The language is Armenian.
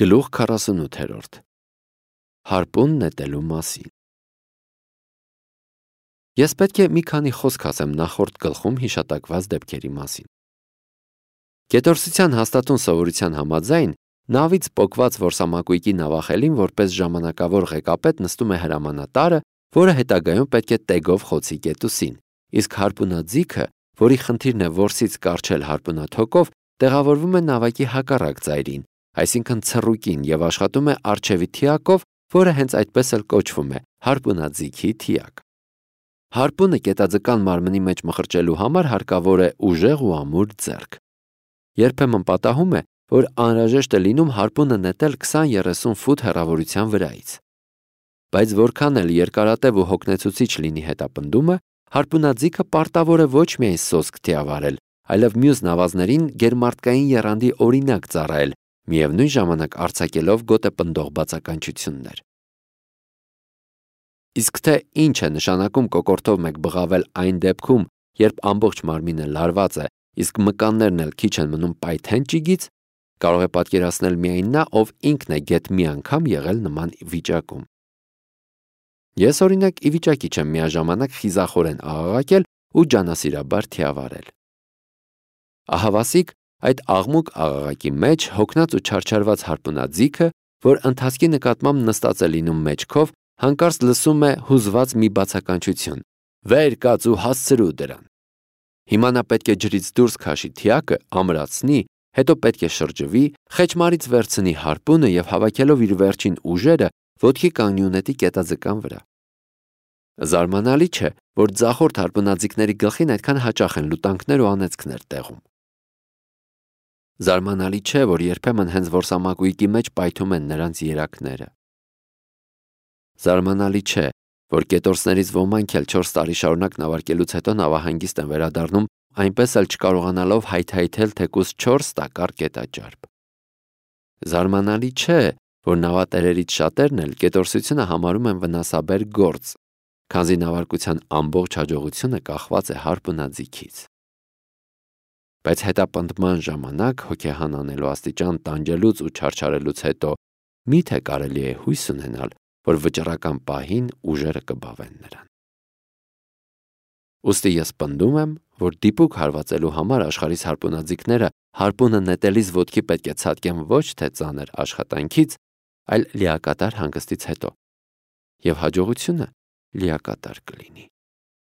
Գլուխ 48 Հարպուն նետելու մասին Ես պետք է մի քանի խոսք ասեմ նախորդ գլխում հիշատակված դեպքերի մասին։ Կետորսության հաստատուն սովորության համաձայն նավից պոկված որսամակույկի նավախելին որպես ժամանակավոր ղեկապետ նստում է հրամանատարը, որը հետագայում պետք է տեգով խոցի կետուսին, իսկ հարպունաձիգը, որի խնդիրն է որսից կառչել հարպունաթոկով, տեղավորվում է նավակի հակառակ ծայրին, այսինքն ցռուկին, եւ աշխատում է առջևի թիակով, որը հենց այդպես էլ կոչվում է հարպունաձիգի թիակ։ Հարպունը կետաձկան մարմնի մեջ մխրճելու համար հարկավոր է ուժեղ ու ամուր ձեռք։ Երբեմն պատահում է, որ անհրաժեշտ է լինում հարպունը նետել 20-30 ֆուտ հեռավորության վրայից։ Բայց որքան էլ երկարատև ու հոգնեցուցիչ լինի հետապնդումը, հարպունաձիգը պարտավոր է ոչ միայն սոսկ թիավարել, այլև մյուս նավազներին գերմարտկային եռանդի օրինակ ծառայել, միևնույն ժամանակ արձակելով գոտեպնդող բացականչություններ։ Իսկ թե ինչ է նշանակում կոկորդով մեկ բղավել այն դեպքում, երբ ամբողջ մարմինը լարված է, իսկ մկաններն էլ քիչ են մնում պայթեն ճիգից, կարող է պատկերացնել միայն նա, ով ինքն է գեթ մի անգամ եղել նման վիճակում։ Ես օրինակ ի վիճակի չեմ միաժամանակ խիզախորեն աղաղակել ու ջանասիրաբար թիավարել։ Ահավասիկ այդ աղմուկ աղաղակի մեջ հոգնած ու չարչարված հարպունաձիգը, որ ընթացքի նկատմամբ նստած է լինում մեջքով, հանկարծ լսում է հուզված մի բացականչություն. «Վեր կաց ու հասցրու դրան»։ Հիմա նա պետք է ջրից դուրս քաշի թիակը, ամրացնի, հետո պետք է շրջվի, խեչմարից վերցնի հարպունը եւ հավաքելով իր վերջին ուժերը ոտքի կանգնի ունետի կետաձկան վրա։ Զարմանալի չէ, որ ձախորդ հարպունաձիգների գլխին այդքան հաճախ են լուտանքներ ու անեծքներ տեղում։ Զարմանալի չէ, որ երբեմն հենց որսամակույկի մեջ պայթում են նրանց երակները։ Զարմանալի չէ, որ կետորսներից ոմանք էլ 4 տարի շարունակ նավարկելուց հետո նավահանգիստ են վերադառնում, այնպես էլ չկարողանալով հայթայթել թեկուզ 4 տակառ կետաճարպ։ Զարմանալի չէ, որ նավատերերից շատերն էլ կետորսությունը համարում են վնասաբեր գործ, քանզի նավարկության ամբողջ հաջողությունը կախված է հարպունաձիգից։ Բայց հետապնդման ժամանակ հոգեհան անելու աստիճան տանջելուց ու չարչարելուց հետո միթե կարելի է հույս ունենալ, որ վճռական պահին ուժերը կբավեն նրան։ Ուստի ես պնդում եմ, որ դիպուկ հարվածելու համար աշխարհիս հարպունաձիգները հարպունը նետելիս ոտքի պետք է ցատկեն ոչ թե ծանր աշխատանքից, այլ լիակատար հանգստից հետո, եւ հաջողությունը լիակատար կլինի։